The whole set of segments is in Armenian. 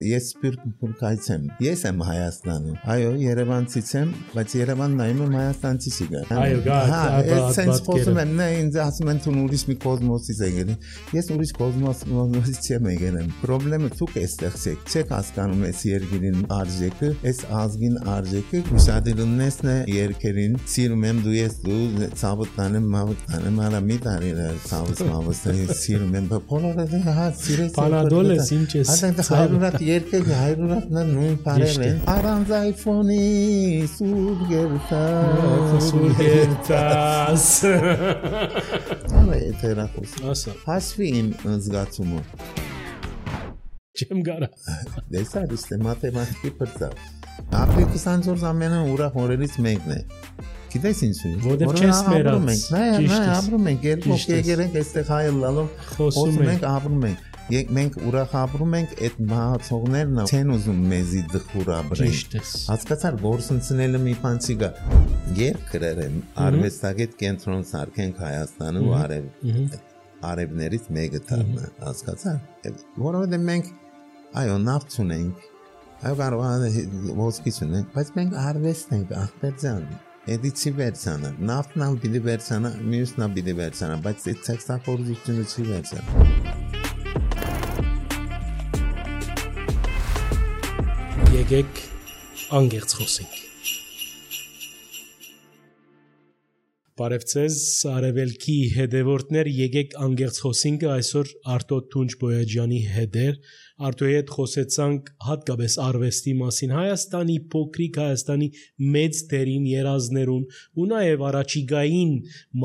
ես սպիրտ եմ։ Ես եմ Հայաստանում։ Այո, Երևանցից եմ, բայց Երևան նայում եմ Հայաստանցի շիգա։ Այո, ես sense խոսում եմ, նա ինձ ասում են դու ուրիշ մի կոսմոսից եկել։ Ես ուրիշ կոսմոսից չեմ եկել։ Պրոբլեմը դուք էստեղ չեք հասկանում այս երկրին արժեքը, այս ազգին արժեքը, ուշադրությունն է երկրին, սիրում եմ դու ես դու ցավտանեմ, մավտանեմ, արա մի տարի ցավս սիրում եմ, բոլորը հա սիրես։ Պանադոլ ես ինչ ես։ Այդտեղ հայրենիք երկրի հայրենիքն նույն բարեր են։ Առանց iPhone-ի սուր գերտաս։ Այո, էթերախոս։ Ասա։ Հասվի իմ զգացումը։ Չեմ գարա։ Դեսա դե մաթեմատիկի բրծա։ Ապրիլի 24 ամենը ուրախ օրերից մեկն է։ Գիտես ինչու՞։ Որտեղ չես մերած։ Նա ապրում ենք, երկու եկերենք այստեղ հայը լալով խոսում ենք, ապրում ենք։ Մենք ուրախ ապրում ենք, այդ մահացողներն չեն ուզում մեզի դխուր ապրեն։ Հասկացար, գործընկերները մի բան չկա։ Երկրեր են, արվեստագետ կենտրոն սարքենք Հայաստանում ու արևներից մեկը դառնա, հասկացար։ Որովհետև մենք այո, նավթ ունենք, այո կարող է ոսկի ունենք, բայց մենք արվեստ ենք, ախպեր ջան։ Էդի չի վերցանա, նավթն ալ պիտի վերցանա, մյուսն ալ պիտի վերցանա, բայց այդ ցեղասպորությունը չի վերցանա։ Եկեք անգերց խոսենք։ Բարև ձեզ, Արևելքի հետևորդներ, եկեք անգերց խոսենք այսօր Արտո Թունջ Բոյաջյանի հետ էր։ Արտոյի հետ խոսեցանք հատկապես արվեստի մասին, Հայաստանի փոքրիկ Հայաստանի մեծ դերին երազներուն ու նաև առաջիկային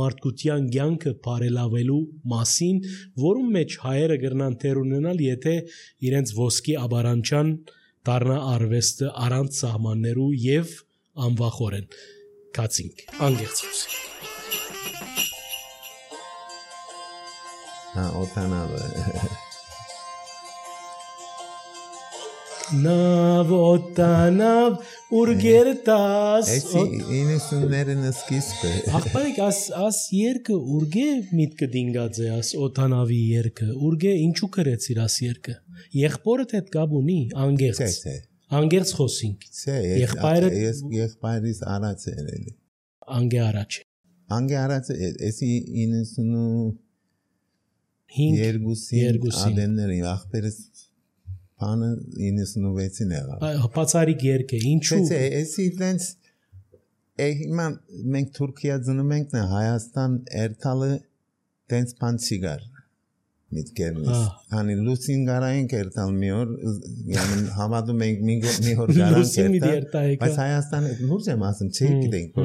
մարդկության կյանքը բարելավելու մասին, որում մեջ հայերը կգրնան թեր ունենալ, եթե իրենց ոսկի աբարանչան դառնա արվեստը առանց սահմաններու եւ անվախորեն։ Կացինք, անգերց խոսենք։ Օտանավը Նավ օտանավ ուրգերտաս Էսի 90-ներն սկիզբը Ախպարիկ աս երկը ուրգե միտքը դինգած է աս օտանավի երկը ուրգե ինչու կրեցիր աս երկը եղբորդ հետ կապ ունի անգերց խոսինք եղբայրիս առաջ էր անգե առաջ էսի 92 ադենների ախպերս բանը 96-ին եղավ Պացարիկ երկ է, ինչու էսի դենց հիմա մենք Թուրքիա ծնում ենք Հայաստան երթալը դենց բան չկար միտքերնից հանի լուսին գարայինք երթալ մի օր հավատում ենք մի օր գարանք երթալ բայց Հայաստանը լուրջ եմ ասում չի գիտենք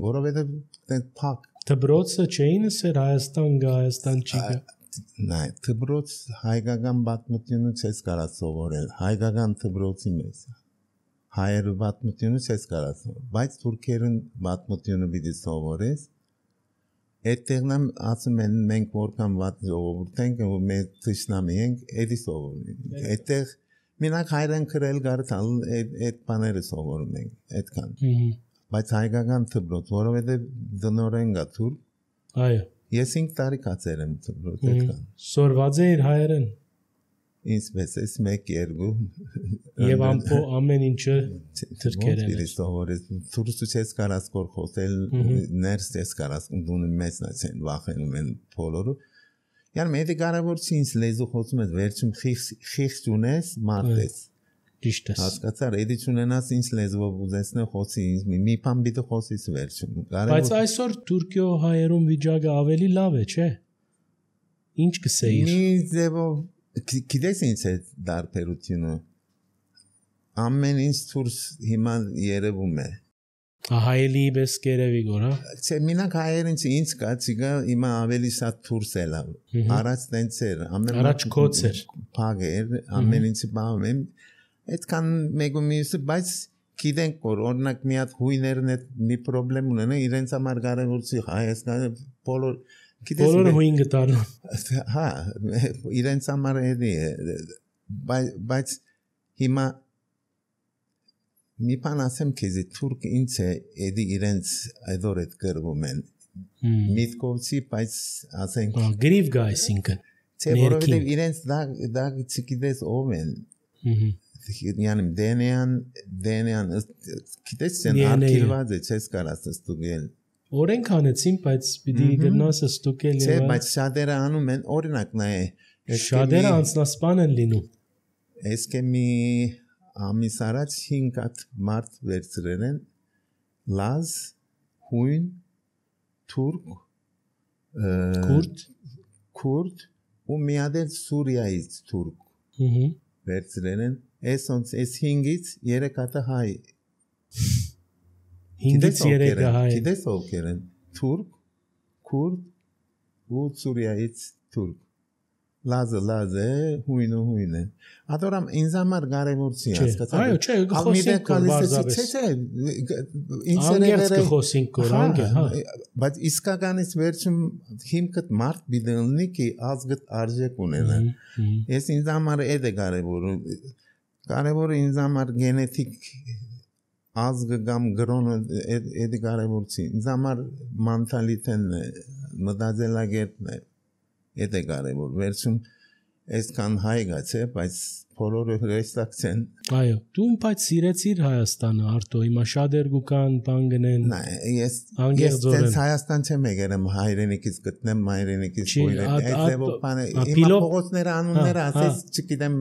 որովհետև դենց փակ դբրոցը չէին ասեր Հայաստան չի գա Նայ, թբրոց հայկական պատմությունը չես կարա սովորել, հայկական թբրոցի մեզ, հայերը պատմությունը չես կարա սովորել, բայց թուրքերն պատմությունը պիտի սովորես, այդտեղնամ ասում են մենք որքան վատ ժողովուրդ ենք ու մեր թշնամի ենք, էդի սովորում ենք, այդտեղ մենակ հայրեն քրել գարտալ այդ բաները սովորում ենք, այդքան, բայց հայկական թբրոց, որովհետև դնորեն գա թուրք, այո Ես 5 տարի կացել եմ այդքան։ Սորված է իր հայերեն։ Ինչպես էս 1-2 Եվ ամեն ինչը թրքերեն է։ Թուրքու չես կարաս կոր խոսել, ներս չես կարաս դունի մեծն են վախենում են բոլորը։ Յան մեդի կարևոր չի ինձ լեզու խոսում ես վերջում խիղճ ունես, մարտես։ Ճիշտ է։ Հասկացար, էդի չունենաս ինձ լեզվով ուզեսնե խոսի ինձ մի բան պիտի խոսիս վերջում։ Բայց այսօր Թուրքիո հայերում վիճակը ավելի լավ է, չէ՞։ Ինչ կսեիր։ Մի ձևով գիտես ինչ է դարբերությունը։ Ամեն ինչ թուրս հիմա երևում է։ Հայելի պես կերևի գորա։ Չէ, մենակ հայերին ինչ կա, չկա հիմա ավելի շատ թուրս է լավ։ Առաջ տենց էր, առաջ կոց էր։ Փակ էր, ամեն ինչը բաղում եմ Այդքան մեկ ու մյուսը, բայց գիտենք, որ օրինակ մի հատ հույներն է մի պրոբլեմ ունեն, իրենց համար կարևոր չի Հայաստանը բոլորը հույն գտան։ Հա, իրենց համար էդի է, բայց հիմա մի բան ասեմ քեզ, թուրք ինչ է, էդի իրենց այդոր էդ գրվում են, միտքով չի, բայց ասենք գրիվ գա այսինքն։ Չէ, որովհետև իրենց դա չգիտես ով են yani DNA-ն գիտես ցեն արկիվված է չես կարաս ստուգել օրենք անեցին բայց պիտի գնաս ստուգել չէ բայց շատերը անում են օրինակ նայ շատերը անձնասպան են լինում Էսկե մի ամիս առաջ 5 հատ մարդ վերցրել են լազ հույն թուրք քուրդ ու մի հատ Սուրիայից թուրք վերցրել են այս 5-ից 3 հատը հայ 5-ից 3-ը հայ գիտես ովքեր են թուրք քուրդ ու Սուրիայից թուրք լազը հույն է ադորամ ինձ համար կարևոր չի հասկացա այո չէ խոսենք բարձրապես չէ անգերց կխոսենք կորանգ հա բայց իսկականից վերջում հիմքդ մարդ բիդելնի կի ազգդ արժեք ունենա ես ինձ համար է կարևորը ինձ համար գենետիկ ազգը կամ գրոնը էդի կարևոր չի ինձ համար մենտալիտետն է մտածելակերպն է Էդ է կարևոր վերջում այսքան հայ գացե բայց բոլորը հրեստակ չեն այո դու բայց սիրեցիր Հայաստանը Արտո հիմա շատեր գուկան բան գնեն ես Հայաստան չեմ եկել հայրենիքից գտնեմ հայրենիքից հիմա փողոցները անունները ասես չգիտեմ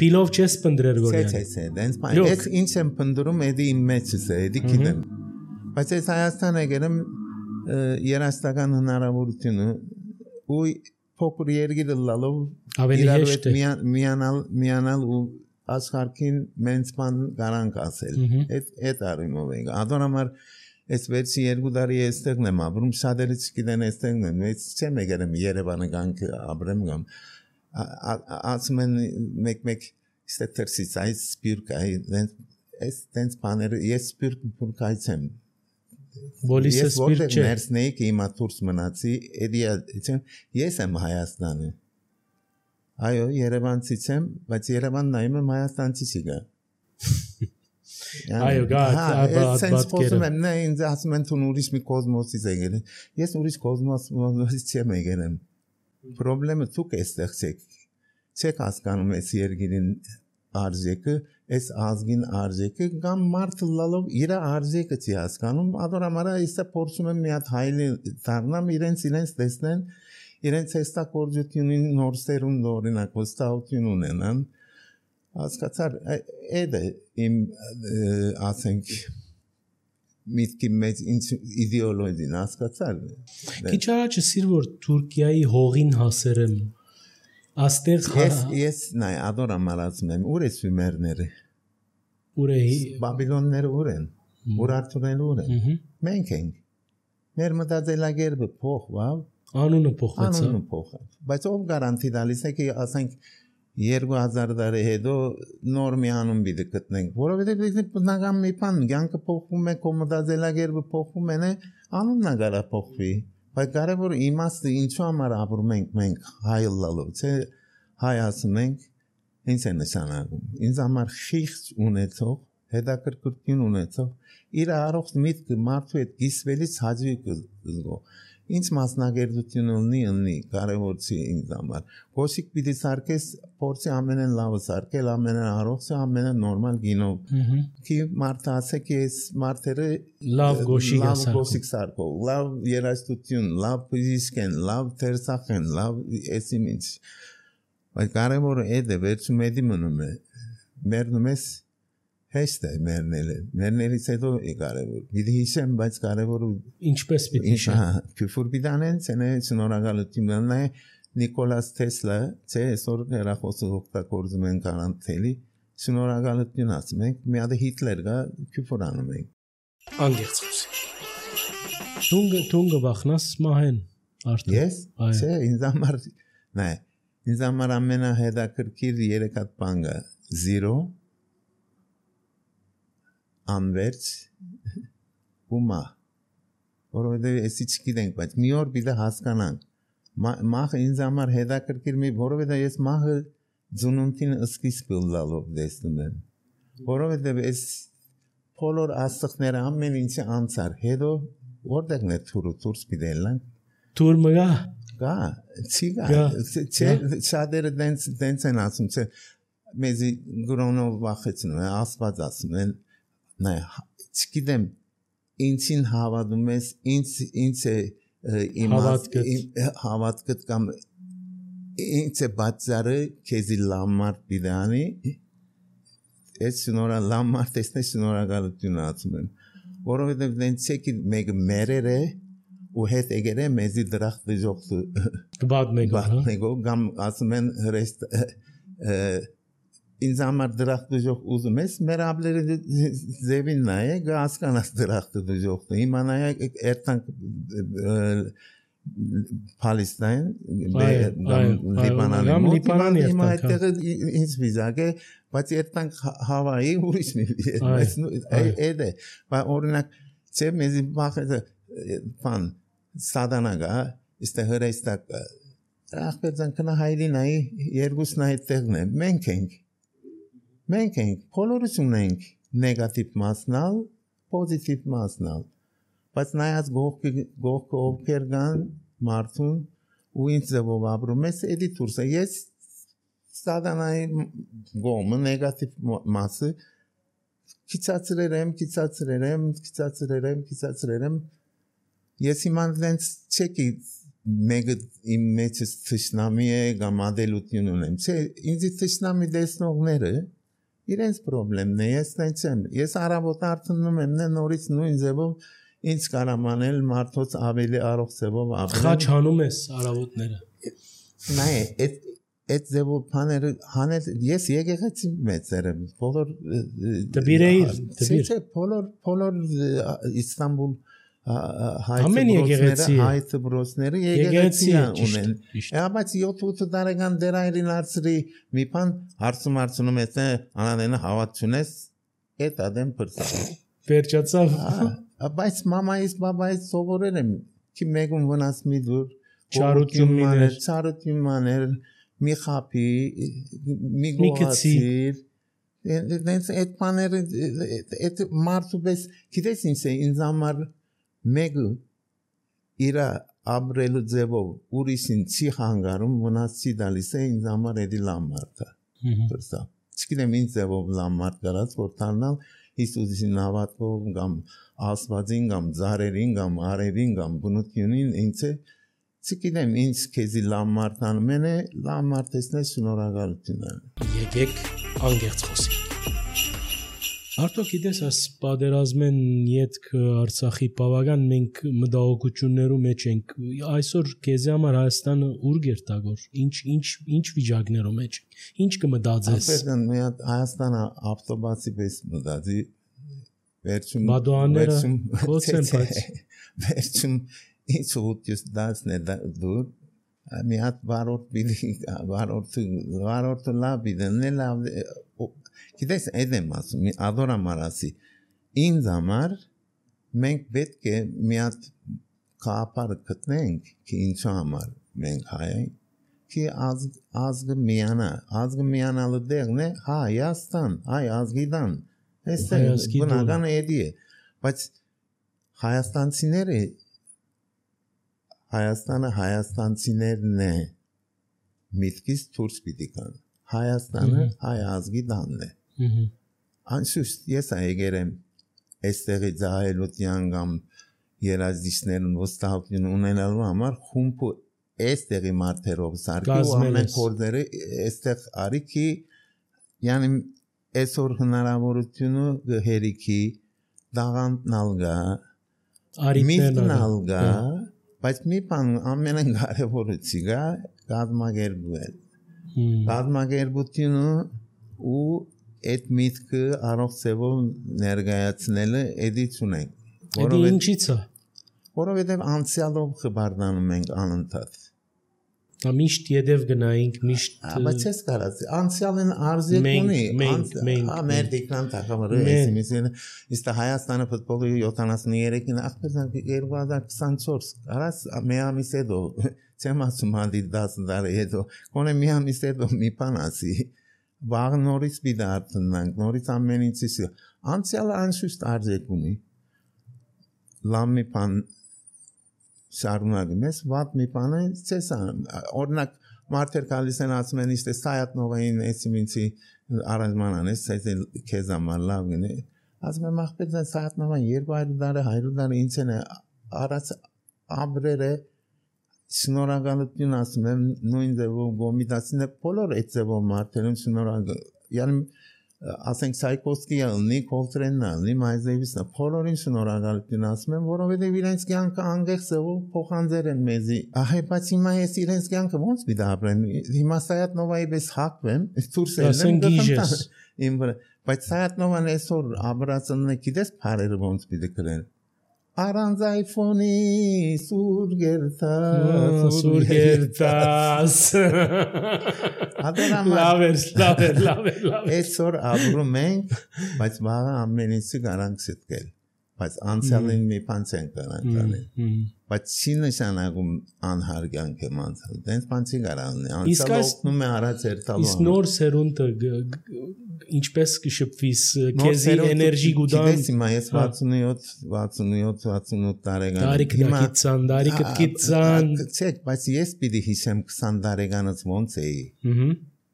պիլով չես փնդրեր գորյանի ես ինչ եմ փնդրում էդի իմ մեջս է էդի գիտեմ բայց ես Հայաստան եկել եմ երաստական հնարավորությունը ու փոքր երգիրը լալով իրարուետ միանալ ու աշխարհին մենց բան garanք ասել այդ արիմով ենք ադոնամար այս վերջի 2 տարի էստեղն եմ ապրում շատերը չգիտեն էստեղն եմ ես չեմ եկել Երևանը գանք ապրեմ կամ ասում են մեկ ստերսից այս սպիրկա այս տենց բաները ես սպիրկայց եմ Բոլիսը սպիրտ չէ ներսնեի կի հիմա դուրս մնացի ես եմ Հայաստանը այո Երևանցից եմ բայց Երևան նայում եմ Հայաստանցի չգա այո գա ասում եմ նա ինձ ասում են թուն ուրիշ մի կոսմոսից եկել ես ուրիշ կոսմոսից չեմ եկել պրոբլեմը դուք էստեղ չեք հասկանում այս երգիրին արժեքը այս ազգին արժեքը կամ մարդը լալով իր արժեքը չի հասկանում ադորամարա իսա փորձում եմ մի հատ հայլի դառնամ իրենց տեսնեն իրենց հստակորությունին նոր սերունդ օրինակ վստահություն ունենան հասկացար այդ է իմ ասենք միտքի մեջ ինչ իդեոլոգին հասկացար քիչ առաջ ասիր որ Թուրքիայի հողին հասերեմ Աստեղ ես նայ ադորամար ասում եմ ուր է սումերները ուր է բաբիլոնները ուր են ուրարտուները ուր են մենք ենք մեր մտածելակերպը փոխվավ անունը փոխվեց բայց ով գարանտի տալիս է ਕਿ ասենք 2000 տարի հետո նոր մի անուն պիտի գտնենք որովհետև բնական մի բան կյանքը փոխվում է մտածելակերպը փոխվում է անունն գարա փոխվի Բայց կարևորը իմաստը ինչու համար ապրում ենք մենք հայ լալով, չէ հայ ասում ենք, ինչ է նշանակում, ինձ համար խիղճ ունեցող, հետաքրքրություն ունեցող, իր առողջ միտքը մարդու հետ կիսվելիս հաճույք զգո, ինչ մասնագիտություն ունի, կարևոր չի ինձ համար, գոշիկ պիտի սարքես, փորձի ամենեն լավը սարքել, ամենեն առողջը, ամենեն նորմալ գինով, Ki մարդը ասե ki այս մարդերը լավ գոշիկ սարքով, լավ երաժշտություն, լավ բժիշկ են, լավ թերսախ են, լավ էսիմ ինչ, բայց կարևորը էդ է, վերջում էդի մնում է, մերնում ես Հեշտ է մերներից հետո է կարևոր, պիտի հիշեմ, բայց կարևորը ինչպես պիտի հիշեմ, քյուրֆուր պիտի անեն, շնորհակալություն է Նիկոլաս Թեսլա, չէ, այսօր հեռախոսը օգտագործում են կարանտելի, շնորհակալություն ասում ենք, մի հատ Հիտլեր կա, քյուրֆուր անում ենք։ Անգերց խոսի։ Թունգը վախնաս մահեն արդեն։ Ես, չէ, ինձ համար ամենահետաքրքիր 3 հատ բան կա, 0 Անվերջ ու մահ, որովհետև էսի չգիտենք, բայց մի օր պիտի հասկանանք, մահը ինձ համար հետաքրքիր մի, որովհետև ես մահը ծնունդին սկիզբը լալով տեսնում եմ, որովհետև ես բոլոր աստղները ամեն ինչի անցար, հետո որտեղն է թուրը, դուրս պիտի ելանք, թուր մգա, չի գա, չէ, շատերը դենց են ասում, չէ, մեզի գրոնով վախեցնում են, ասված ասում են, նայ, չգիտեմ, ինձին հավատում ես, ինձ է հավատքդ կամ ինձ է բացարը քեզի լամարդ բիդանի, ես լամարդ տեսնես շնորհակալություն ասում եմ, որովհետև դենց չեկի մեկը մերեր է, ու հետ եկեր է մեզի դրախտ դժողքը կբադ մեկով, կամ ասում են հրեստ, ինձ համար դրախտ դժող ուզում ես, մեր աբլերը ձևին նայե, գասկանաս դրախտ դժողքը, իմանայ երտանք Պալեստայն, Լիբանանի մոտ, հիմա այդտեղը ինձ վիզակ է, բայց երտանք Հավայի ուրիշ մի էդ է, օրինակ, չէ մեզի բախեզը, պան, սադանագա, իստե հրեստակ, ախպեრძան կնա հայրինայի, երկուսն այդտեղն է, մենք ենք, բոլորս ունենք նեգատիվ մասնալ, պոզիտիվ մասնալ, բայց նայած գողքը ովքեր կան մարդուն ու ինձ ձևով ապրում ես, էդի թուրս է, ես սադանայի գոմը, նեգատիվ մասը, քիծացրեր եմ, ես իման դենց չեկի մեկը իմ մեջս թշնամի է կամ ադելություն ունեմ, չէ, ինձի թշնամի դեսնողները, իրենց պրոբլեմն է, ես տենց եմ, ես առավոտ արդնում եմ, նորից նույն ձևով ինձ կարամանել մարդոց ավելի առող ձևով ապրել։ Խաչ հանում ես առավոտները։ Նայ, այդ ձևով բաները հանել, ես եկեղեցի մեծեր եմ, բոլոր դբիր բոլոր Իստանբուլ հայ դպրոցները եկեղեցի ունեն։ Բայց 7-8 տարեկան դերայրին արծրի մի բան հարցում ես, անադենը հավատ չունես, այդ ադեմ պրծավ։ Վերջացավ։ Բայց մամայից, բաբայից սովորել եմ, ki մեկում վնաս մի դուր, չարություն մաներ, մի խապի, մի գողացիր, այդ բաները, այդ մարդու պես, գիտես ինձ է, ինձ համար մեկը իրա ապրելու ձևով ուրիշին չի խանգարում, վնաս չի դալիս է, ինձ համար էդի լամարդ է, չգիտեմ ինձ ձևով լամարդ կարած, որ թարնալ Հիսուսին հավատքով կամ ասվածին կամ ձարերին կամ արևին կամ բնությունին ինձ է չգիտեմ ինձ քեզի լամարդ անում է լամարդ տեսնես շնորհակալություն եկեք անգերց խոսենք Արդյոք գիտես այս պատերազմեն յետք Արցախի բավական մենք մտահոգություններու մեջ ենք այսօր քեզի համար Հայաստանը ուր գերտագոր ինչ վիճակներու մեջ ինչ կմտածես Ապերդան մի հատ Հայաստանը ավտոբասի պես մտածի վերջում Մադոանները փոցեն բայց վերջում ինչ ուտես դասն է դուր մի հատ վարորդը լավ իդնել Գիտես այդ եմ ասում, ադորամ արասի, ինձ համար մենք պետք է մի հատ կապարը կտնենք, ki ինչու համար մենք հայ ենք, ki ազգը միանալը դեղն է Հայաստան, հայ ազգիդան, բնական էդի է, բայց Հայաստանը հայաստանցիներն է, միտքից թուրս պիտի կան, Հայաստանը հայ ազգիդանն է, Անշուշտ ես այգեր եմ այստեղի ձահելության կամ երազիչներն ոստահություն ունենալու համար խումբը այստեղի մարդերով սարքի ու ամեն կորդերը այստեղ արիքի յանի այսօր հնարավորությունը հերիքի դաղանտն ալգա միտքն ալգա բայց մի բան ամենն կարևորը գա կազմակերպվել կազմակերպությունը ու այդ միտքը առող ծևով ներգայացնելը էդի չունենք Էդի ինչից է որովհետև անցյալով խբարդանում ենք անընդհատ Միշտ յետև գնայինք միշտ բայց ես կարած անցյալն արզիք ունի մեր դիկնան թակամրը էսիմիսին իստա Հայաստանը ֆուտբոլի 73-ին ախպեզան 2024 կարած մի ամիս հետո չեմ ասում հանդի 10 տարի հետո կոնե մի ամիս հետո մի բան ասի Վաղ նորից պիտի արդնանք, նորից ամեն ինչից անցյալը անշուշտ արժեք ունի լավ մի բան շարունակում ես, վատ մի բան է չես անում օրինակ մարդեր գալիս են ասում են իստե Սայաթնովային էսիմինցի Առանձնանես քեզ համար լավ գնի ասում եմ ախպեր սահատնավան 200 դարը 100 դարը ինձ են արած ամրերը շնորհակալություն ասում եմ նույն ձևով գոմիտասին է բոլոր այդ ձևով մարդերուն շնորհակալ յանի ասենք Սայկովսկիը ունի Կոլտրենն ունի Մայզևիսը բոլորին շնորհակալություն ասում եմ որովհետև իրենց կյանքը անգեղ ձևով փոխանցել են մեզի ահա բայց հիմա ես իրենց կյանքը ոնց պիտի ապրեմ հիմա Սայատնովայի պես հակվեմ ցուրսել եմ բայց Սայատնովան այսօր աբրացնն է գիտես բարերը ոնց պիտի կրեն Առանց iPhone-ի սուրգերտաս լավ Այսօր ապրում ենք բայց վաղը ամեն ինչի garanք ստկել բայց անցյալին մի բան չեն կարող անել բայց չի նշանակում անհարգանք եմ անցյալ դենց բան չի կարող լինի անցյալը օգնում է արած երթալու իսկ նոր սերունդը ինչպես կշփվիս քեզի էներգի գուտան գիտես հիմա ես 67 տարեկան հիմա դարիքը գիծան չէ բայց ես պիտի հիշեմ 20 տարեկանից ոնց էի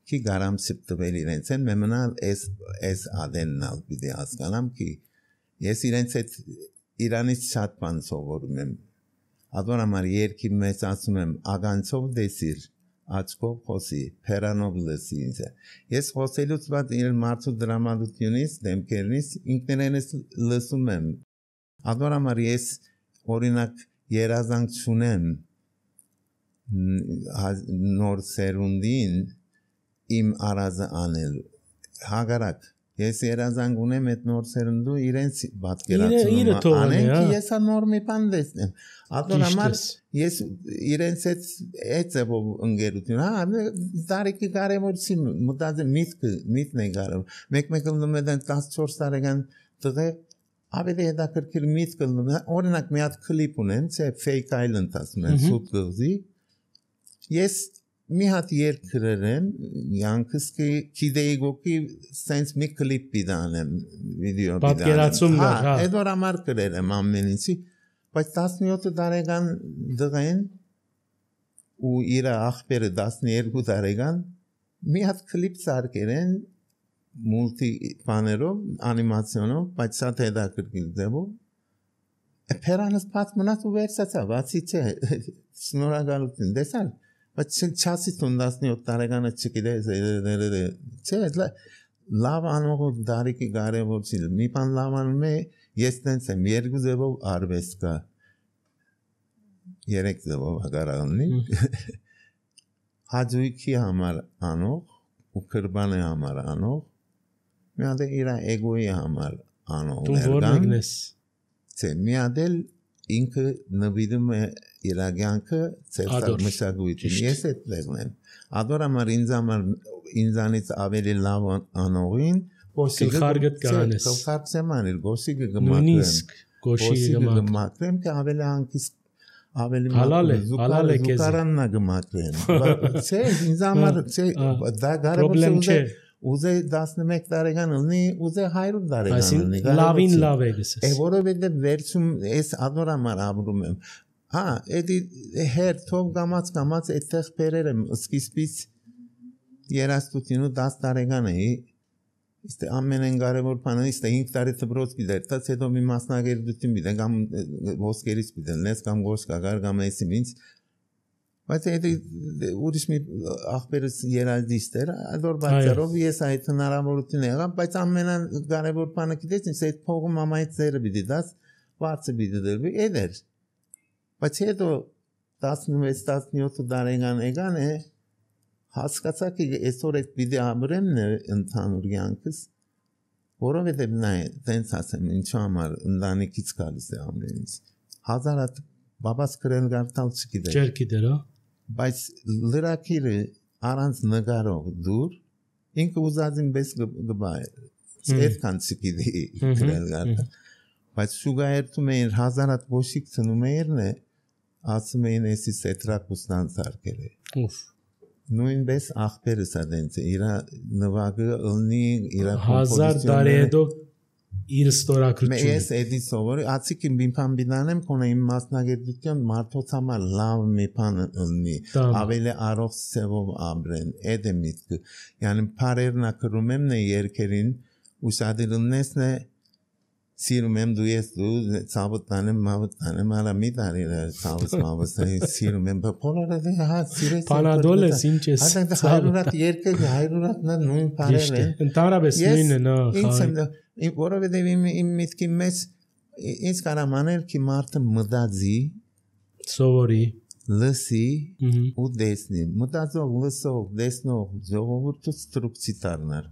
Ki garam սպտվել իրենց են մենալ էս ադեննալ պիտի հասկանամ ki ես իրենց հետ Իրանից շատ բան սովորում եմ Ադոր համար երկի մեծ ասում եմ ագանցով դեսիր աչքով խոսի փերանով լսի ինձ ես խոսելուց բաց իր մարդու դրամատուրգիայից դեմքերից ինքներենս լսում եմ Ադոր համար ես օրինակ երազանք չունեմ նոր սերունդին Իմ արազը անել հագարակ ես երազանք ունեմ այդ նոր սերունդու իրենց պատկերացնում անենք ես նոր մի բան տեսնեմ ադոր համար ես իրենց այդ ձևով ընկերություն հա դարիքի կարևորի մտածեմ միտքն է կարևոր մեկ լնում է 14 տարեկան տղե ավելի հետաքրքիր միտք լնում օրինակ մի հատ կլիպ ունեմ չէ Fake Island ասում են սուտ գղզի ես մի հատ երգ գրեմ յանքս գիտեի գոքի sense մի կլիպ բիդանեմ վիդեո բիդանեմ պատկերացում հա այդ որ ամար գրեմ ամեն ինչի բայց 17 տարեկան դղեն ու իր ախպերը 12 տարեկան մի հատ կլիպ սարքերեն մուլտի բաներով անիմացիոնով բայց շատ հետաքրքիր ձևով Փերանս բաց մնաց ու վերցացա բացի չէ շնորհակալություն դեսալ Բայց չասի 17 տարեկանը չգիտես չէ լավ անողը դարիքի կարևոր չի մի բան լավ անում է ես տենց եմ երկու ձևով արվեստ կա երեք ձևով հագարալնի հաջույքի համար անող ու կրբանի համար անող մի հատ իր էգոյի համար անող դու որ մեկնես չէ մի հատ ինքը նվիրում է իր կյանքը ծերտալ մշակույթին ես այդ դերն եմ ադոր համար ինձանից ավելի լավ անողին գլխարկդ կանես գլխարկսեմ անել գոսիկը գմակրեմ કે ավելի անկիսկ ավելի հալալ է քեզ զուկարաննա գմակրեմ չէ ինձ համար չէ դա կարևոր չէ Ուզե 11 տարեկան լինի, ուզե 100 տարեկան լինի։ Լավին լավ է գսես։ Որովհետև վերջում ես ադոր համար ապրում եմ։ Հա, էդի հերթով գամած այդտեղ բերեր եմ սկիզբից երաժշտությունը 10 տարեկան էի։ Իսկ ամենեն կարևոր բանը իսկ 5 տարի դպրոց դիտած հետո մի մասնագիտություն դիտեմ կամ ոսկերից դիտեմ, կամ գոսկագար կամ էսիմից Բայց էդի ուրիշ մի ախպերս երաժիշտ էր, ադոր բացարով ես այդ հնարավորություն եղավ, բայց ամենակարևոր բանը գիտես ինձ այդ փողը մամայից ձերը պիտի դաս, վարձը պիտի դրվի, էդ էր։ Բայց հետո 16-17 տարեկան եկան է, հասկացա कि այսօր այդ պիտի ապրեմն է ընդհանուր կյանքս, որովհետև նա տենց ասեմ, ինչու համար ընտանիքից գալիս է ամեն ինչ։ Հազար հատ բաբաս գրել գարտալ չգիտեր։ Չէր գիտեր, հա։ Բայց լրակիրը առանց նկարող դուր ինքը ուզածին պես գբա այդքան չգիտի գրել գարտալ բայց շուգայերթում էին հազար հատ ոշիկ ծնում էիրն է ասում էին էսի սետրակուստան սարկել է նույնպես ախպերս ադենց է իր նվագը ըլնի իր կոմպոզիցիոնները 1000 տարի հետո իր ստորագրությունը։ Ես էդի սովորի, ացիկին բիմփան բինանեմ, կոնե իմ մասնագիտություն մարդոց համար լավ մի բան ունի, ավելի առող սևով ապրեն, էդ է միտքը։ Yani parerna կրում եմ նե երկերին, ուսադիրնեսն է սիրում եմ դու ես դու ցավտանեմ մավտանեմ արա մի տարի ցավս մավս սիրում եմ բոլորը հա սիրես Պանադոլ ես ինչ ես Հա հայրուրատ երկը հայրուրատ նույն բարեր են Ընդհանրապես նույնն է նա ինձ որովհետև իմ միտքի մեջ ինձ կարամաներ ki մարդը մտածի սովորի լսի ու դեսնի մտածող լսող դեսնող ժողովուրդը ստրուկցի դառնար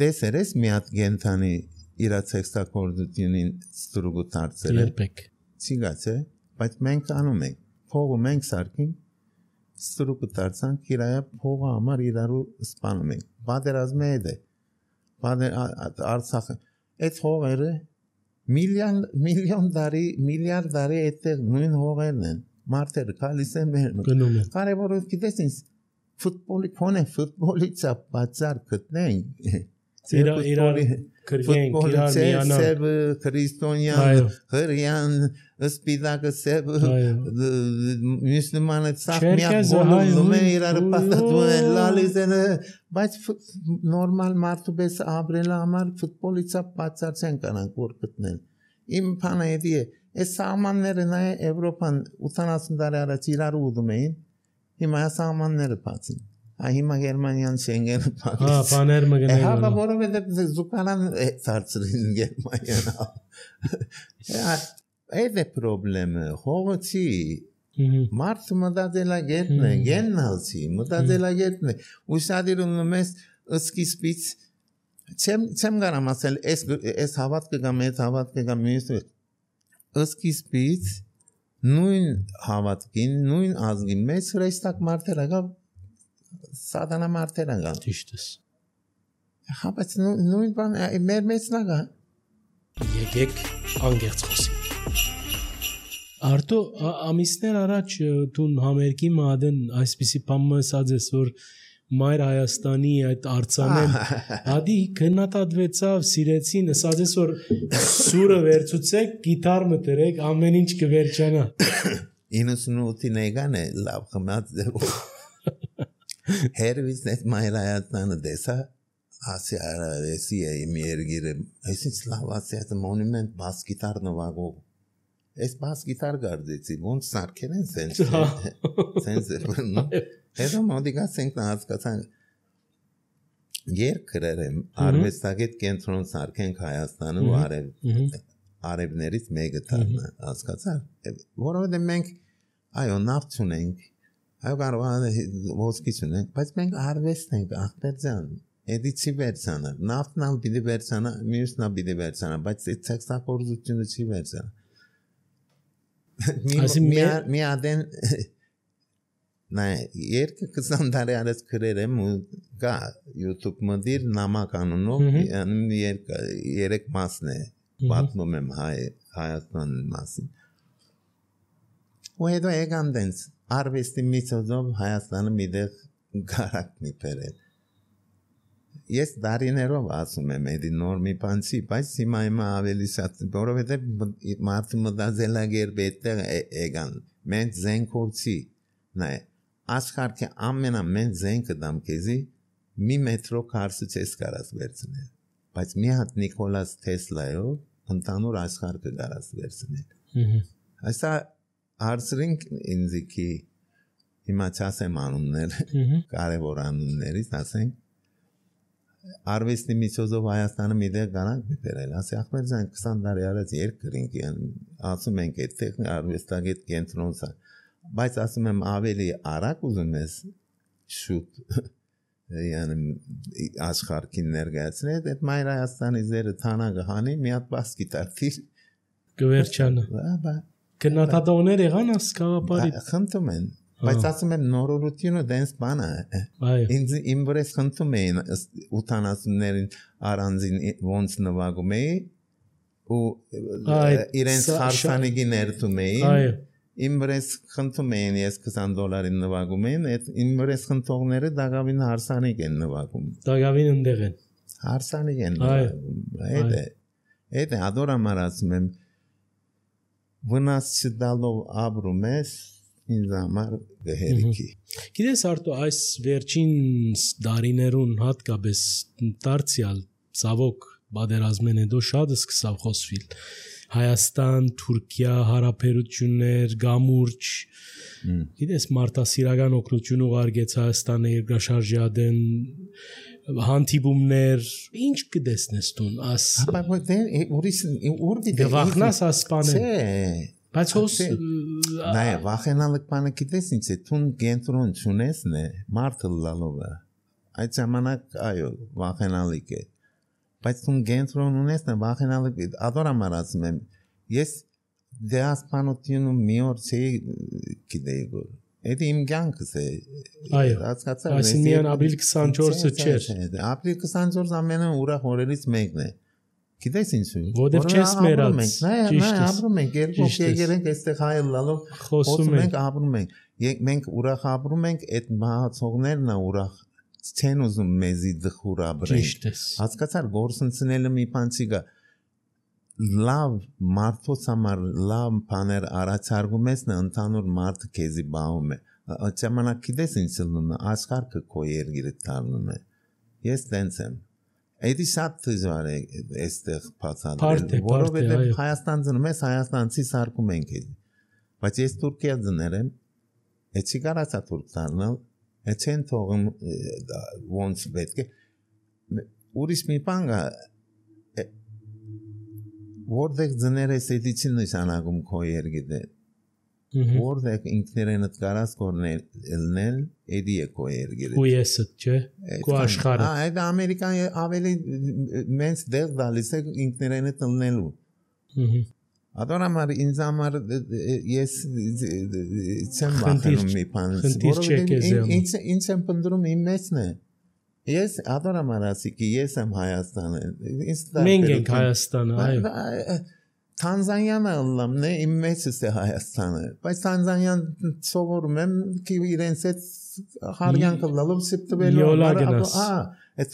տեսերես մի հատ գենթանի իր տեքստակորդությունին ստրուգու դարձել երբեք ցիգացե բայց մենք անում ենք փողը մենք սարքին ստրուգու դարձանք իրայա փողը համար իրարու սպանում ենք պատերազմը է Արցախը այդ հողերը միլիոն միլիարդ տարի այդտեղ նույն հողերն են մարդերը գալիս են գնում են կարևորը գիտես ինձ ֆուտբոլից բացար գտնենք իրար քրգենք իրար միանալ սև քրիստոնյան հրյան սպիդակը սև մուսուլմանը ցախ միակ բոլորում է իրար պատտվում են լալիզենը բայց նորմալ մարդու պես ապրելը համար ֆուտբոլից բացար չեն կանանք որ գտնել իմ բանը էդի է այս սահմանները նայ Եվրոպան 80 տարի առաջ իրար ուդում էին հիմա սահմանները բացին Հիմա Գերմանիան Շենգենը Հա, բաներ մգնել Հա, որովհետև զուգանան ծարծրին Գերմանիան Այդ է պրոբլեմը, հողոցի Մարդը մտածելագետն է, գեննալցի, մտածելագետն է Ուսադիրում մեզ սկիզբից Չեմ գարամ ասել, ես հավատքը գամ, ես հավատքը գամ Սկիզբից նույն հավատքին, նույն ազգին մեծ հրեստակ մարդերը գավ Սատանա մարդեր անգամ Ճիշտս Հա բայց նույն բան մեր մեծն ագա Եկեք անգերց խոսենք Արտո ամիսներ առաջ դու համերգի մադեն այսպիսի բան ասած ես որ Մայր Հայաստանի այդ արձանեն Ադի գնահատվեցավ սիրեցին ասած ես որ սուրը վերցուցեք գիտար մտրեք ամեն ինչ կվերջանա 98-ին եկան է լավ խմած Hervis net Mայր Հայաստանը դեսա ասի արեսի է իմ երգիրը այսինչ լավ ասի այդ մոնումենտ բաս գիտար նվագող այս բաս գիտար գարձեցի ոնց սարքեն են սենց հետո մոդիկացենք նա հասկացան երկրեր եմ արվեստագետ կենտրոն սարքենք Հայաստանը ու արևներից մեկը դառնա հասկացար որովհետև մենք այո նավթ ունենք Այո կարող է ոսկի ունենք, բայց մենք արվեստ ենք, ախպեր ջան, էդի չի վերցանա, նավթն ալ պիտի վերցանա, մյուսն ալ պիտի վերցանա, բայց այդ տեքստակորձությունը չի վերցանա։ Մի ադեն, նայ, երկը 20 տարի արես գրեր եմ ու գա YouTube մդիր նամակ անունով, երեք մասն է, պատմում եմ Հայաստան մասին։ Ու հետո եկան դենց արվեստի միջոցով Հայաստանը միտեղ գարակնի բերել։ Ես դարիներով ասում եմ էդի նոր մի բան չի, բայց հիմա ավելի շատ, որովհետև մարդը մտածելագերբ այդտեղ եկան։ Մենք զենքով չի, նայ, աշխարհի ամենամեծ զենքը դամ քեզի մի մետրո քարսը չես կարաս վերցնել։ Բայց մի հատ Նիկոլաս Թեսլայով ընդանուր աշխարհը կարաս վերցնել։ Այսա հարցրինք ինձի հիմա չասեմ անուններ, կարևոր անուններից ասենք արվեստի միջոցով Հայաստանը միտեղ գանանք բերել, ասի ախպեր ջան 20 տարի առաջ երկրինք ասում ենք այդտեղ արվեստագետ կենտրոնը, բայց ասում եմ ավելի արագ ուզում ես շուտ աշխարհին ներկայացնել, այդ Մայր Հայաստանի զերը թանագը հանի մի հատ բաս գիտարթիր կվերջանը Գնահատողներ եղան ասկավապարի խնդում են բայց ասում եմ նորորությունը դենս բան է ինձ իմ վրես խնդում էին 80-ներին առանձին ոնց նվագում էի ու իրենց հարսանիքի ներդում էին իմ վրես խնդում էին ես $20 նվագում էին իմ վրես խնդողները դակավին հարսանիք են նվագում դակավին ընդեղ են հարսանիք են նվագում այդ է Այդ է ադորամար ասում եմ վնաս չտալով ապրում ես ինձ համար գհերիքի։ Գիտես Արտո այս վերջին դարիներուն հատկապես դարձյալ ցավոք բادرազմեն հետո շատ սկսավ խոսվել Հայաստան, Թուրքիա հարաբերություններ, գամուրջ գիտես մարտահրավերական օգնություն ուղարկեց Հայաստանը երկրաշարժյադեն հանդիպումներ ինչ կդեսնես դու աս գվախնաս ասպանը բայց հոս նայ վախենալը բանը գիտես ինչ է տուն կենտրոն չունես նե մարտը լալովը այդ ժամանակ այո վախենալիք է բայց տուն կենտրոն ունես նե վախենալը ադորամար ասում եմ ես դեասպանությունը մի օր չի գիտեի գոր Էդի իմ կյանքս է հասկացա այսինքն ապրիլ 24-ը չէր ապրիլ 24 ամենը ուրախ օրերից մեկն է գիտես ինչու որտեվ չես մերած ճիշտ է ապրում ենք երկու եկել ենք այստեղ հայ լալով խոսում ենք ապրում ենք մենք ուրախ ապրում ենք այդ մահացողներն ուրախ չեն ուզում մեզի դխուր ապրենք հասկացար գործընկերները մի բան չի գա լավ մարդոց համար լավ բաներ առաջարկում ես նա ընդհանուր մարդը քեզի բաղում է ժամանակ գիտես ինչ լնում է աշխարհը քո երկիրը դառնում է ես տենց եմ այդի շատ դժվար է այստեղ բացատրել որովհետև Հայաստան ծնում ես հայաստանցի սարկում ենք բայց ես Թուրքիա ծներ եմ էցի կարացա թուրք դառնալ էցեն թողում ոնց պետք է ուրիշ մի բան կա որտեղ ձներես էդիցի նշանակում քո երգիդը որտեղ ինքներենդ կարաս կորնել էդի է քո երգիդը ու եսը չէ քո աշխարհը այդ ամերիկան ավելի մենս դեր դալիս է ինքներենդ լնելու ադոնամար ինձ համար ես չեմ վախենում մի բան որովհետև ինչ եմ պնդրում իմ մեծն է Ես ադորամար ասիկի ես եմ Հայաստանը մենք ենք Հայաստանը այո Թանզանիան ալլամն է իմ մեծս է Հայաստանը բայց Թանզանիան սովորում եմ ki իրենց այդ հարյանքը լալով սպտվելու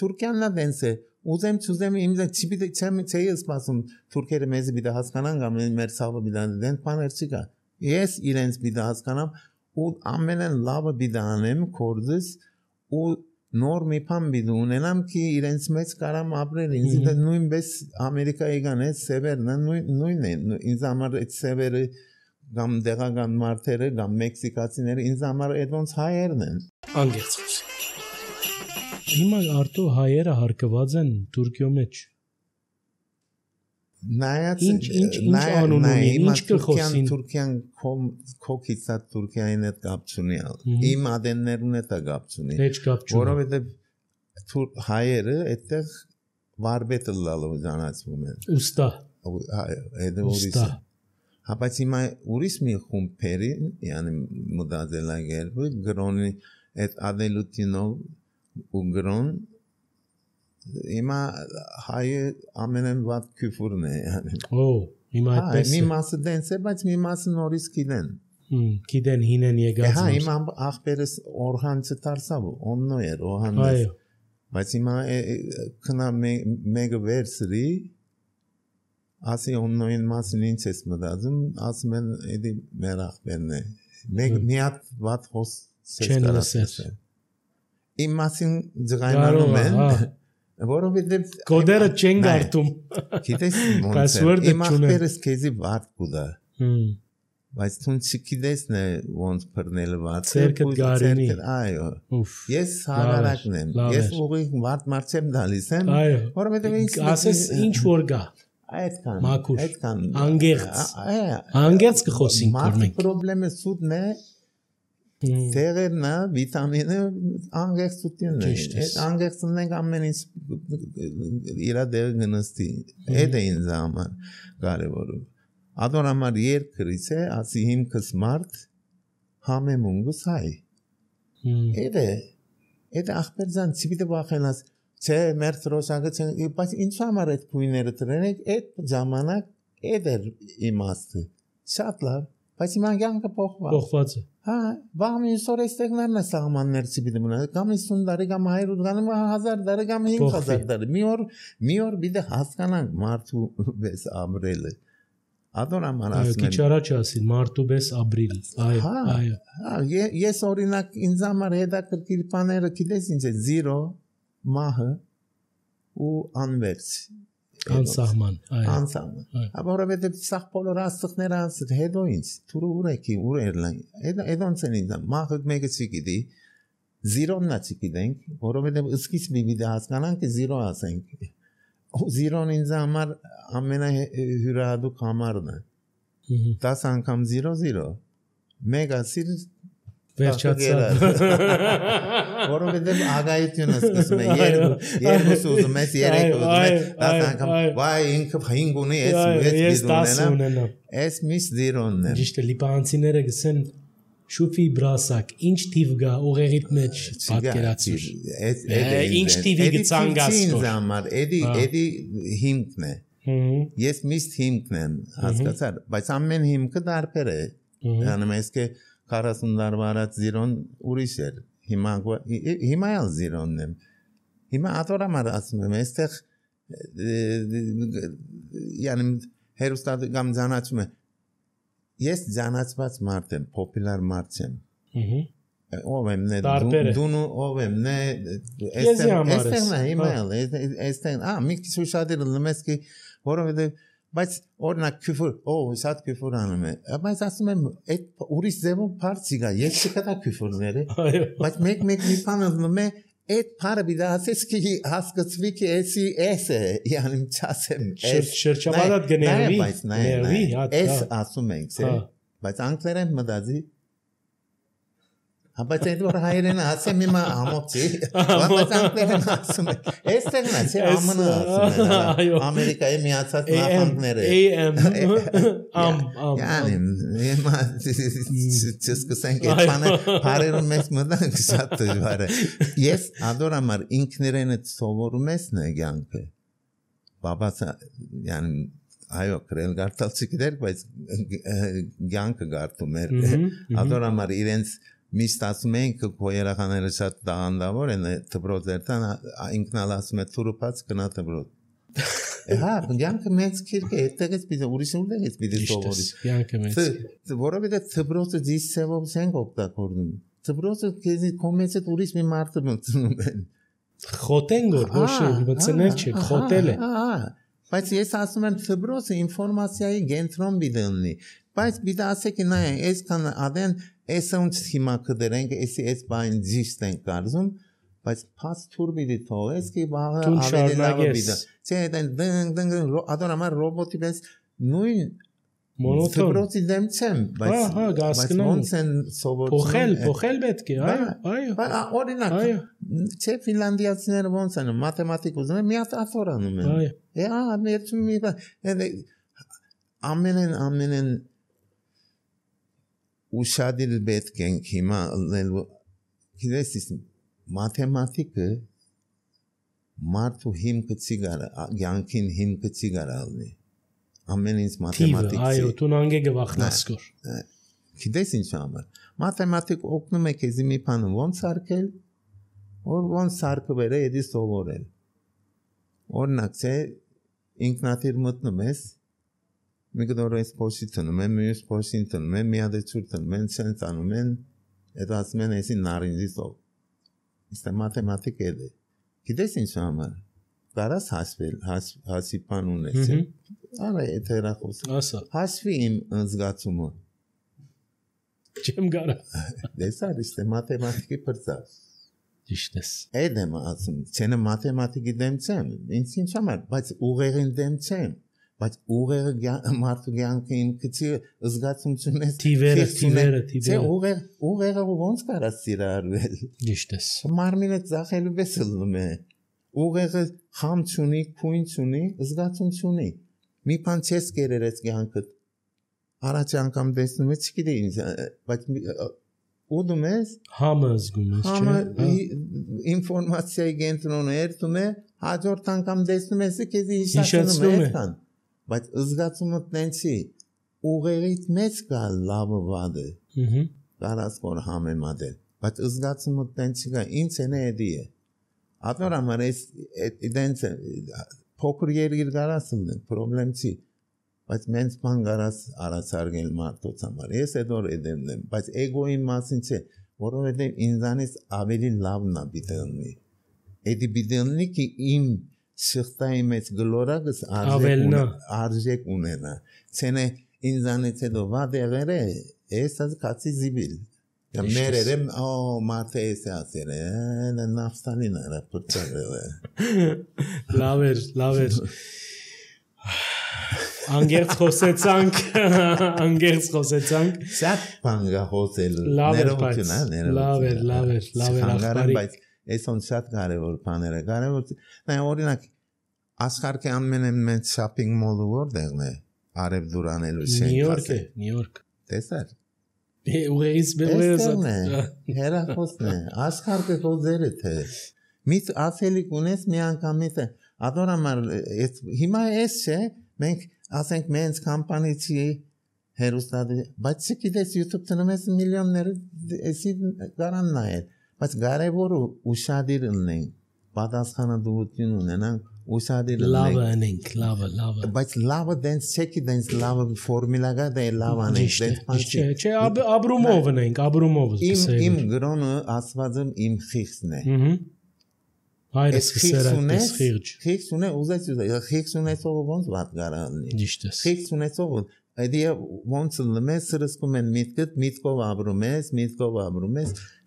Թուրքիանն է դենս է ուզեմ ինձ չի սպասում թուրքերը մեզ պիտի հասկանան կամ մեր ցավը պիտի դեն բաներ չի կա ես իրենց պիտի հասկանամ ու ամենն լավը պիտի անեմ կորձս ու նոր մի բան պիտի ունենամ ki իրենց մեջ կարամ ապրել ինձ դա նույնպես Ամերիկայի գան է սևերն նույնն է ինձ համար այդ սևերը կամ դեղական մարդերը կամ մեքսիկացիները ինձ համար այդ ոնց հայերն են անգերց հիմա Արտո հայերը հարկված են Թուրքիո մեջ նայած ինչ անուն ունի ինչ կխոսին Թուրքիան քոքիցա Թուրքիային հետ կապ չունի իմ ադեններուն հետ կապ չունի Heç կապ չունի որովհետև հայերը այդտեղ վարպետը լալով ճանաչվում են ուստա այդ ուրիշ բայց հիմա ուրիշ մի խումբերի yani մոդելագերբը գրոնի այդ ադելուտինով ու գրոն Հիմա հայը ամենեն վատ քյուֆուրն է yani հիմա այդպես մի մասը դենս է բայց մի մասը նորից գիտեն գիտեն հինեն եկած հիմա ախպերս օրհան չդարսավ օննո էր օհանես բայց հիմա քնա մեկը վերսրի ասի օննոին մասին ինչ ես մտածում ասում են էդի մեր ախպերն է մի հատ վատ խոս չեն լսել իմ մասին ձղայնանում են որովհետև կոդերը չեն գարտում գիտես ոնց է իմ ախպերս քեզի վատ կուտա բայց դու չգիտես նե ոնց բռնելը վատ ցերկդ գարինի այո ես հավարակն եմ ես ուղի վատ մարդ չեմ դալիս եմ որովհետև ինձ ասես ինչ որ գա այդքան անգերց կխոսենք որ մենք պրոբլեմը սուտն է Թերերնա վիտամինը անգերցությունն է այդ անգերցումն ենք ամեն ինչ իրա դեր գնստի այդ է ինձ համար կարևորը ադոնամար երկրից է ասի հիմքս մարդ համեմունգս հայ այդ ախպերձան չպիտի վախենաս չէ մեր տրոշակը չէ բայց ինչ համար այդ քույները տրեն այդ ժամանակ այդ էր իմաստը շատ լավ բայց հիմա կյանքը փոխված է։ Հա, վաղ մի սոր էստեղներն է սահմաններ չպիտի մնա, կամ 50 տարի, կամ 100 կամ 1000 տարի, կամ 5000 տարի։ Մի օր պիտի հասկանանք մարդու պես ապրելը։ Ադորաման ասում եմ։ Քիչ առաջ ասին մարդու պես ապրիլ։ Այո։ Ես օրինակ ինձ համար հետաքրքիր բաները գիտես ինչ է 0 մահը ու անվերջ անսահման անսահման որովհետև սաղ բոլոր աստղները ասել հետո ինչ թուրը ուրեկի ուրերլան այդոնց են ինձ մահը մեկը չգիտի 0-ն չգիտենք որովհետև սկիզբի մի հասկանանք 0 ասենք 0-ն ինձ համար ամենահյուրահատուկ համարն է 10 անգամ 0 մեգա սիր վերջացավ որովհետև ագայությունը սկսում է երկուս ուզում ես երեք ուզում ես 10 անգամ վայ ինքը 5 ունի ես 10 ունենամ ես միշտ 0-ն եմ ճիշտ է լիբանանցիները գսեն շուֆի բրասակ ինչ թիվ գա ուղեղիդ մեջ պատկերացիր ինչ թիվի գցանգասկոր էդի հիմքն է ես միշտ հիմքն եմ հասկացար բայց ամեն հիմքը դարբեր է անում ես 40 տարվա առաջ 0-ն ուրիշ էր հիմա էլ 0-ն եմ հիմա ատորամար ասում եմ այստեղ յանի հերոստատը կամ ճանաչում է ես ճանաչված մարդ եմ պոպուլար մարդ եմ ով եմ նե դու ով եմ նե այստեղ հիմա էլ այստեղ մի քիչ ուշադիր լմես կի որովհետև բայց օրինակ քյուֆր շատ քյուֆր անում է բայց ասում եմ այդ ուրիշ ձևով բարձի գա ես չկա քյուֆրները բայց մեկ մի բան ասում եմ այդ բարը բիդասես կի հասկացվի կի էսի յանի չասեմ շրջապատած գներվի էս ասում ենք բայց անգլերեն մտածի բայց այդ որ հայերեն ասեմ հիմա ամոծի բայց անգլերեն ասում է այստեղն է չէ ԱՄՆ ասում է ամերիկայի միացած նահանգները յանի հիմա չսկսենք այդ բանը բարերում մեզ մտանք շատ դժվար է ես ադորամար ինքներենը սովորում ես նե կյանքը բաբաս յանի այո քրել գարտալ չգիտեր բայց կյանքը գարտում էր ադորամար իրենց միշտ ասում ենք որ երախաները շատ տաղանդավոր են դպրոցերտան ինքնալ ասում է թուրուփած գնա դպրոց հա կյանքը մեծ քիրք է այդտեղից պիտի ուրիշ ուղեղից պիտի սովորի կյանքը մեծ որովհետև դպրոցը դիսեվով չենք օգտագործում դպրոցը քեզի կոմեցը ուրիշ մի մարդը մտնում են խոտեն գոր ոչ մտցնել չէ խոտել է բայց ես ասում եմ դպրոցը ինֆորմացիայի կենտրոն պիտի լինի բայց պիտի ասեք նայ այսքան ադեն Էսոնց հիմա կդրենք, էս բան ճիշտ են կարծում, բայց փաս թուր պիտի թողես, կի բաղը ավելի լավ պիտի։ Չէ, դեն ադորամար ռոբոտի պես նույն դպրոցի դեմ չեմ, բայց ոնց են սովորում։ Փոխել պետք է, այո։ Օրինակ, չէ ֆինլանդիացիները ոնց են, մաթեմատիկ ուզում են, մի հատ աթոր անում են։ Ամենեն ուշադիր պետք ենք հիմա գիտես մաթեմատիկը մարդու հիմքը չի գարա յանքին հիմքը չի գարալնի ամեն ինչ մաթեմատիկ այո դու նանգե գվախնասկոր գիտես ինչ համար մաթեմատիկ օգնում է քեզ մի բան ոնց արկել ոնց արկվել է դի սովորել օրինակ չէ ինքնաթիռ մտնում ես մի կդորես փոշիտնում եմ, մյուս փոշիտնում եմ, մի հատ ճուրտնում եմ, ցենց անում են, այդ ասում են էսի նարինջի սով։ Իսկ մաթեմատիկ է։ Գիտես ինչ համար։ Կարաս հասվել, հասիպան ունես։ Արա այդ հերախոս։ Ասա։ Հասվի իմ զգացումը։ Չեմ գարա։ Դեսար իսկ մաթեմատիկի բրծա։ Ճիշտ ես։ Այդ եմ ասում, ցենը մաթեմատիկի դեմ չեմ, ինչ համար, բայց ուղեղին դեմ չեմ։ Բայց ուղեղը մարդու կյանքին քիչ զգացումություն է թիվերը չէ ուղեղը ոնց կարաս սիրարվել ճիշտ է մարմինը ծախելու պես լնում է ուղեղը խամ չունի քույն չունի զգացում չունի մի բան չես կերերես կյանքդ առաջ անգամ տեսնում ես չգիտի ինձ բայց ուդում ես համը զգում ես չէ ինֆորմացիայի կենտրոնը երթում է հաջորդ անգամ տեսնում ես քեզ հիշացնում է այդքան բայց զգացումը տենցի ուղեղից մեծ կա լավը վադը կարաս որ համեմատել բայց զգացումը տենց չկա ինձ է էդի է ատոր համար էս դենց փոքր երկիր կարաս ունեն պրոբլեմ չի բայց մենց բան կարաս արացարգել մարդոց համար ես էդոր էդեմ եմ բայց էգոյի մասին չէ որովհետև ինձանից ավելի լավն է բիդելնի էդի բիդելնի ki իմ շղթայի մեջ գլորակս արժեք ունենա ցենե ինձանից հետո վադեղերը ես կացի զիբիլ Մերերեմ մարդը էս է ասել նավստանին արա պրծարել լավ էր անգերց խոսեցանք շատ բան գա խոսել լավ էր ախպարի բայց էսոն շատ կարևոր բաներ է կարևոր օրինակ աշխարհի ամեն մեծ շոփինգ մոլը որտեղն է արև դուրանելու շենքը Նյու Յորք տեսար ուղերից հերախոսն է աշխարհը կոզերը թե միտ ասելիք ունես մի անգամից ադորամար հիմա էս չէ մենք ասենք մենց կամպանիի հերոստատի բայց չգիտես YouTube տնումես միլիոններ էսի գարան նայել բայց կարևորը ուշադիր լինեն պատասխանատվություն ունենան ուշադիր լինենք լավը բայց լավը դենց չեկի դենց լավը ֆորմուլա կա դե լավ անենք չէ ապրումով ենք ապրումով իմ գրոնը ասվածը իմ խիղճն է հայրս սերած խիղճ ունե ուզեց խիղճ ունեցող ոնց վատ գարաննի խիղճ ունեցող այդի ոնց լմես սրսկում են միտքով ապրում ես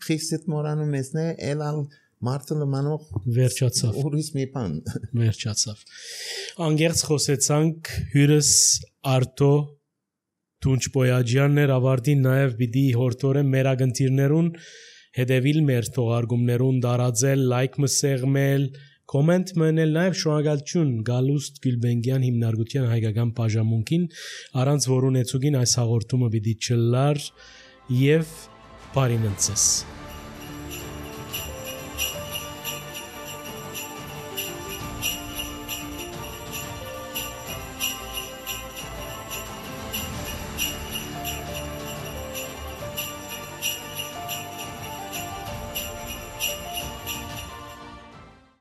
խիղճդ մորանում ես նե էլալ Մարդը լմանող վերջացավ ուրիշ մի բան վերջացավ անգերց խոսեցանք հյուրս Արտո Թունչբոյաջյանն էր ավարտին նաև պիտի հորտորը մեր ագընտիրներուն հետևիլ մեր թողարկումներուն դարաձել լայք մսեղմել կոմենտ մնել նաև շնորհակալություն Գալուստ Գյուլբենգյան հիմնարկության հայկական բաժանմունքին առանց որոնեցուգին այս հաղորդումը պիտի չլար եւ բարինընծես